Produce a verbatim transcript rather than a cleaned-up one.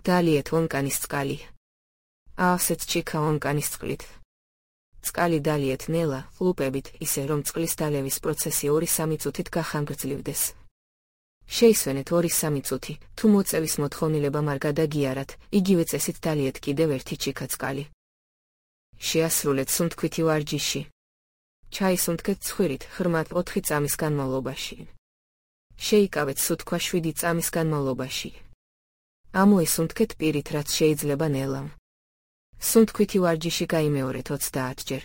დალიეთ ონკანის წყალი. აავსეთ ჩიქა ონკანის წყლით. წყალი დალიეთ ნელა, ხლუპებით, ისე რომ წყლის დალევის პროცესი ორი-სამი წუთით გახანგრძლივდეს. შეისვენეთ ორი-სამი წუთი, თუ მოწევის მოთხოვნილებამ არ გადაგიარათ, იგივე წესით დალიეთ კიდევ ერთი ჩიქა წყალი. შეასრულეთ სუნთქვითი ვარჯიში. ჩაისუნთქეთ ცხვირით, ღრმად ოთხი წამის განმავლობაში. შეიკავეთ სუთქვა შვიდი წამის განმავლობაში. ამოისუნთქეთ პირით, რაც შეიძლება ნელამ. სუნთქვითი ვარჯიში გაიმეორეთ ოცდაათჯერ.